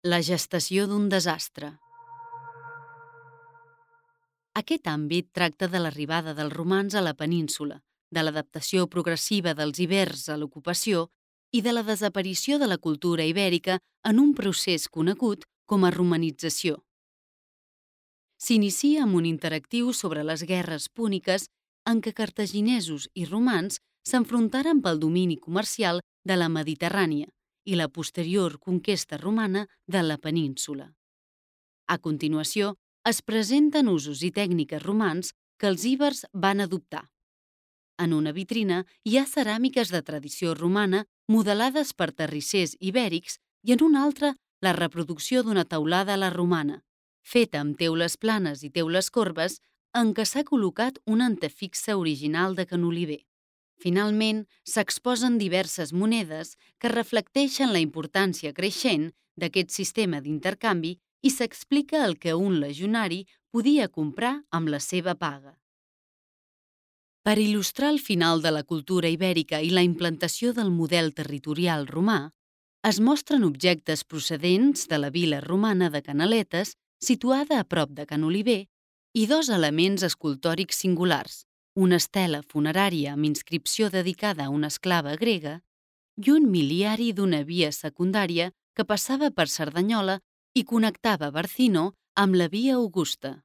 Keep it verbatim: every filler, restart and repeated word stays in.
La gestació d'un desastre. Aquest àmbit tracta de l'arribada dels romans a la península, de l'adaptació progressiva dels ibers a l'ocupació i de la desaparició de la cultura ibèrica en un procés conegut com a romanització. S'inicia amb un interactiu sobre les guerres púniques en què cartaginesos i romans s'enfrontaren pel domini comercial de la Mediterrània i la posterior conquesta romana de la península. A continuació, es presenten usos i tècniques romans que els íbers van adoptar. En una vitrina hi ha ceràmiques de tradició romana modelades per terrissers ibèrics i en una altra la reproducció d'una teulada a la romana, feta amb teules planes i teules corbes en què s'ha col·locat un antefixe original de canoliber. Finalment, s'exposen diverses monedes que reflecteixen la importància creixent d'aquest sistema d'intercanvi i s'explica el que un legionari podia comprar amb la seva paga. Per il·lustrar el final de la cultura ibèrica i la implantació del model territorial romà, es mostren objectes procedents de la vila romana de Canaletes, situada a prop de Canoliber, i dos elements escultòrics singulars, una estela funerària amb inscripció dedicada a una esclava grega i un miliari d'una via secundària que passava per Cerdanyola i connectava Barcino amb la via Augusta.